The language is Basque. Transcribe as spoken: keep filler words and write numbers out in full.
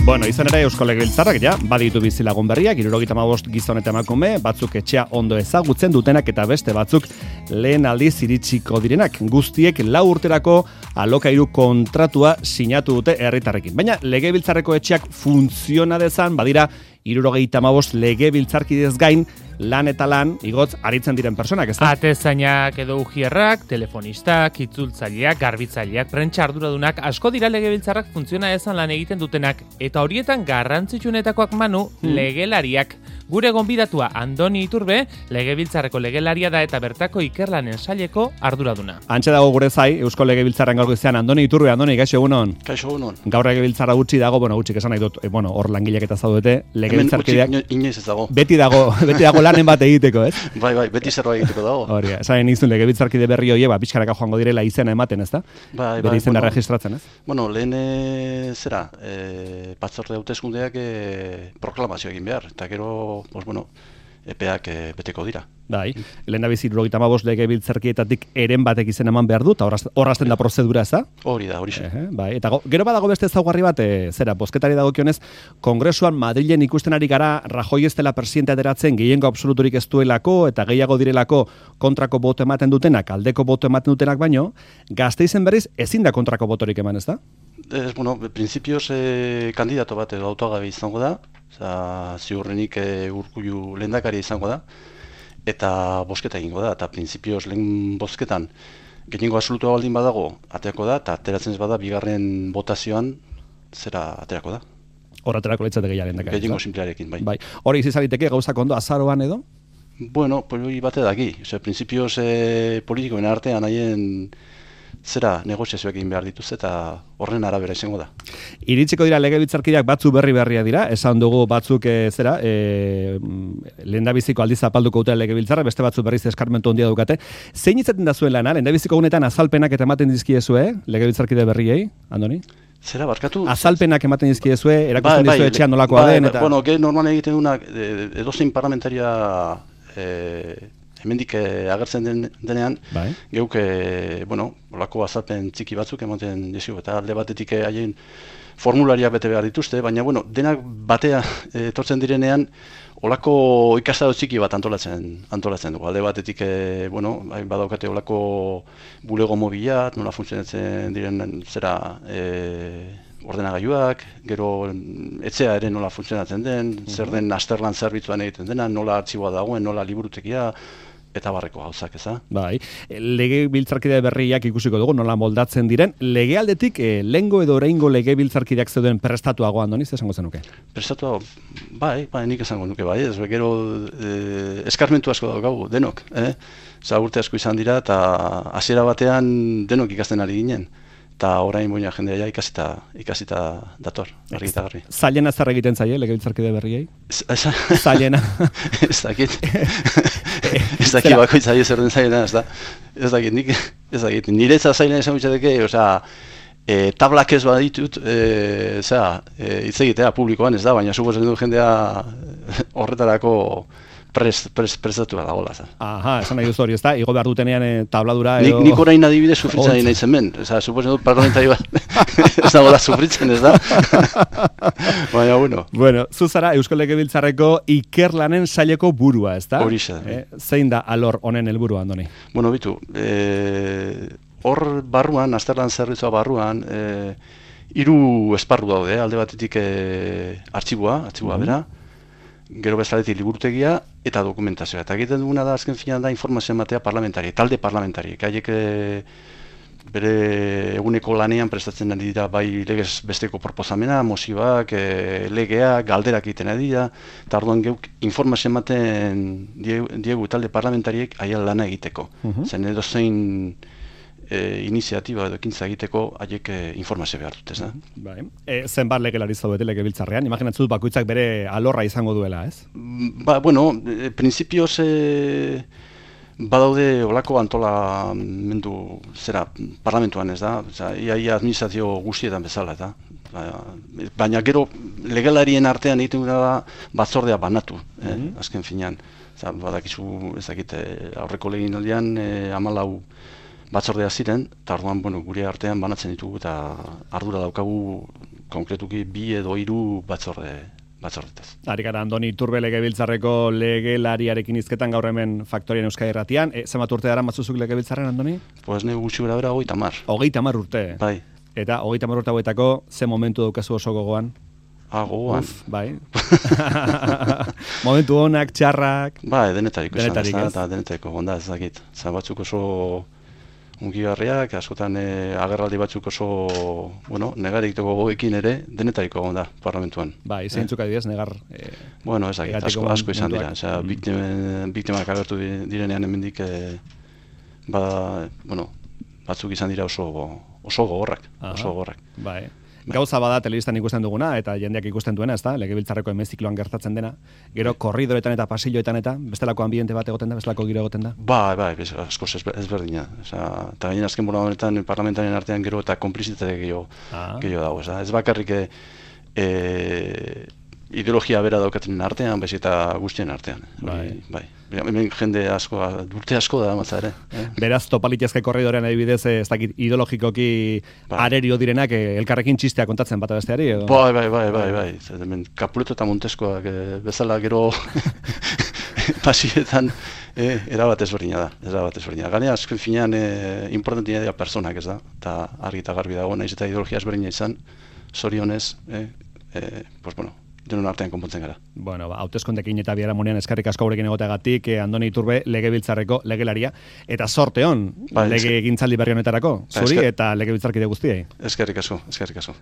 Bueno, izan ere Eusko Legebiltzarrak ja baditu bizilagun berriak, hirurogeita hamabost gizon eta emakume, batzuk etxea ondo ezagutzen dutenak eta beste batzuk lehen aldiz iritsiko direnak. Guztiek lau urterako alokairu kontratua sinatu dute herritarrekin. Baina Legebiltzarreko etxeak funtziona dezan, badira hirurogeita hamabost legebiltzarkidez gain lan eta lan igotz aritzen diren personak, ez da? Atezainak edo ujierrak, telefonistak, itzultzaileak, garbitzaileak, prentsa arduradunak, asko dira legebiltzarrak funtziona ezan lan egiten dutenak, eta horietan garrantzitsuenetakoak manu hmm. legelariak. Gure gonbidatua Andoni Iturbe, legebiltzarreko legelaria da eta bertako ikerlanen saileko arduraduna. Antxe dago gure zai, Eusko Legebiltzarren gaurko izan Andoni Iturbe, Andoni, gaixo egunon. Kaixo egunon. Gaur Legebiltzarra gutxi dago, bueno, gutxik esan nahi dut, e, bueno, hor langileak eta zaudete, legebiltzarkideak. Inoiz ez dago. Beti dago, beti dago lanen bat egiteko, ez? Bai, bai, beti zerbait egiteko dago. Hori, esan izun legebiltzarkide berri hoie, ba, pixkanaka joango direla izena ematen, ez da? Bai, bai. Bere izena bueno, registratzen, ez? Bueno, lehen e, zera, e, batzorde hauteskundeak e, proklamazio egin behar, eta gero, pues, bueno, epeak e, beteko dira. Bai, lehen da bizi hirurogeita hamabost legebiltzarkietatik eren batek izen eman behar du, eta horrazten da prozedura, ez da? Hori da, hori xe. Bai, eta go, gero badago beste ezaugarri bat, e, zera, bozketari dagokionez, Kongresuan Madrilen ikusten ari gara Rajoy ez dela presidente ateratzen gehiengo absoluturik ez duelako, eta gehiago direlako kontrako boto ematen dutenak, aldeko boto ematen dutenak baino, Gasteizen berriz ezin da kontrako botorik eman, ez da? Ez, bueno, prinsipioz eh, kandidato bat edo autogabe izango da, oza, ziurrenik eh, Urkullu lehendakari izango da, eta bosketa egingo da, eta prinsipioz lehen bozketan gehiengo absolutua baldin badago aterako da, eta ateratzen ez bada bigarren botazioan zera aterako da. Hor aterako litzateke ja lehendakari. Gehiengo simplearekin, bai. bai. Hori izizaliteke gauzak ondo azaroan edo? Bueno, hori bate daki, oza, prinsipioz eh, politikoen artean haien zera negoziazioak egin behar dituz eta horren arabera izango da. Iritsiko dira legebiltzarkideak batzu berri berria dira, esan dugu batzuk e, zera, e, lehendabiziko aldiz apalduko dute legebiltzarra, beste batzu berriz eskarmentu handia dukate. Zein izaten da zuen lana, lehendabiziko gunetan azalpenak eta ematen dizkiezue, legebiltzarkide berriei, Andoni? Zera, barkatu? Azalpenak ematen dizkiezue, erakusten bai, dizue etxean nolakoa bai, den, eta... Bueno, ge normal egiten duna, edozein parlamentaria... E, hemendik eh, agertzen den, denean, bai. Geuk, eh, bueno, olako azalpen txiki batzuk ematen dizu, eta alde batetik haien formulariak bete behar dituzte, baina, bueno, denak batea etortzen eh, direnean, olako ikastaro txiki bat antolatzen, antolatzen dugu. Alde batetik, eh, bueno, badaukate olako bulego mobilat, nola funtzionatzen diren zera... Eh, ordenagailuak, gero etxea ere nola funtzionatzen den, uh-huh. zer den asterlan zerbitzuan egiten dena, nola artxiboa dagoen, nola liburutegia, eta barreko gauzak, eza? Bai, legebiltzarkide berriak ikusiko dugu, nola moldatzen diren, legealdetik, eh, lehengo edo oraingo legebiltzarkideak zeuden prestatuago Andoni, zer esango zenuke? Prestatuago, bai, bai, nik esango nuke, bai, ez, gero eh, eskarmentu asko daukagu, denok, eh? Oza, urte asko izan dira, eta hasiera batean denok ikasten ari ginen. Eta orain boina jendea ja ikasita, ikasita dator, argi eta garbi. Zailena zer egiten zaie, legebiltzarkide berriei? Zailena. Ez dakit. Ez dakit bakoitza zer den zailena, ez da. Ez dakit, nik, ez dakit. Niretza zailena esan gutxateke, osea, e, tablak ez baditut, e, zera, e, hitz egitea publikoan ez da, baina suposatzen du jendea horretarako Prest, prest, prestatu da gola. Aha, esan nahi duzu hori, ez da? Igo behar dutenean e, tabladura edo... Nik, nik orain adibidez sufritzen nahi nahi zen ben. Osa, suposen dut parlamentari bat ez da gola sufritzen, ez da? Baina, bueno. Bueno, zuzara Eusko Legebiltzarreko ikerlanen saileko burua, ez da? Horixe. Eh, zein da alor honen helburua, Andoni? Bueno, bitu, hor e, barruan, azterlan zerbitzua barruan, e, hiru esparru daude, alde batetik e, artxiboa, artxiboa mm-hmm. bera, gero bezaletik liburutegia eta dokumentazioa. Eta egiten duguna da, azken finean da, informazioa ematea parlamentari, talde parlamentari. Haiek bere eguneko lanean prestatzen ari dira bai legez besteko proposamena, mozioak, e, legeak, galderak egiten ari dira, eta orduan geuk informazioa ematen diegu talde parlamentariek haien lana egiteko. Uh-huh. Zen edo zein E, iniziatiba edo ekintza egiteko haiek e, informazio behar dut, ez da? Bai. E, zenbat legelari zaudete legebiltzarrean? Imaginatzen dut bakoitzak bere alorra izango duela, ez? Ba, bueno, e, prinsipioz e, badaude olako antolamendu zera parlamentuan, ez da? Oza, ia, ia administrazio guztietan bezala, eta baina gero legelarien artean egiten da batzordea banatu, eh? Mm-hmm. Azken finean. Oza, badakizu, ez dakit, aurreko leginaldian e, hamalau batzordea ziren, eta orduan, bueno, gure artean banatzen ditugu eta ardura daukagu konkretuki bi edo hiru batzorde batzordetaz. Ari gara Andoni Iturbe legebiltzarreko legelariarekin hizketan gaur hemen Faktorien Euskadi Irratian. E, zenbat urte dara matzuzuk legebiltzarren, Andoni? Pues ne gutxi bera bera hogeita hamar. Hogeita hamar urte. Bai. Eta hogeita hamar urte hauetako ze momentu daukazu oso gogoan? Ah, gogoan. Uf, bai. Momentu honak, txarrak. Bai, denetariko esan, Denetarik, ez ez? da, denetariko, gonda ez dakit. Zan batzuk oso ungigarriak, askotan eh, agerraldi batzuk oso, bueno, negarikiteko goekin ere, denetariko gonda parlamentuan. Bai, zeintzuk adibidez, negar... Eh, Bueno, ez dakit, negatiko asko, asko izan dira. momentuak. Osea, biktimen, biktimak agertu di- direnean hemendik, eh, ba, bueno, batzuk izan dira oso, oso gogorrak, Aha. oso gogorrak. Bai. Gauza bada telebistan ikusten duguna, eta jendeak ikusten duena, ezta? Legebiltzarreko hemezikloan gertatzen dena. Gero korridoretan eta pasilloetan eta bestelako ambiente bat egoten da, bestelako giro egoten da. Bai, bai, bez, askoz ezber- ezberdina. Osea, eta gainen azken bola honetan parlamentaren artean gero eta konplizitate gehiago, Ah. gehiago dago. Ez, da? Ez bakarrik eh, eh, ideologia bera daukaten artean, baizik eta guztien artean. Hori, bai. Hemen jende asko, urte asko da matza ere. Eh? Beraz, topalitezke korridorean adibidez, eh, ez dakit ideologikoki Bai. arerio direnak eh, elkarrekin txistea kontatzen bata besteari, edo? Bai, bai, bai, bai, bai. Zer, hemen Capuleto eta Monteskoak eh, bezala gero pasietan eh, erabat ezberdina da. Erabat ezberdina. Gainera, azken finean eh, importantia dira personak, ez da? Eta argi eta garbi dago, naiz eta ideologia ezberdina izan, zorionez, eh, eh, pues bueno, denon artean konpontzen gara. Bueno, ba, hauteskundeekin eta biharamunean eskerrik asko gurekin egoteagatik, eh, Andoni Iturbe legebiltzarreko legelaria, eta sorte hon Bai, lege egintzaldi berri honetarako, Ba, zuri esker- eta legebiltzarkide guztiei. Eskerrik asko, eskerrik asko.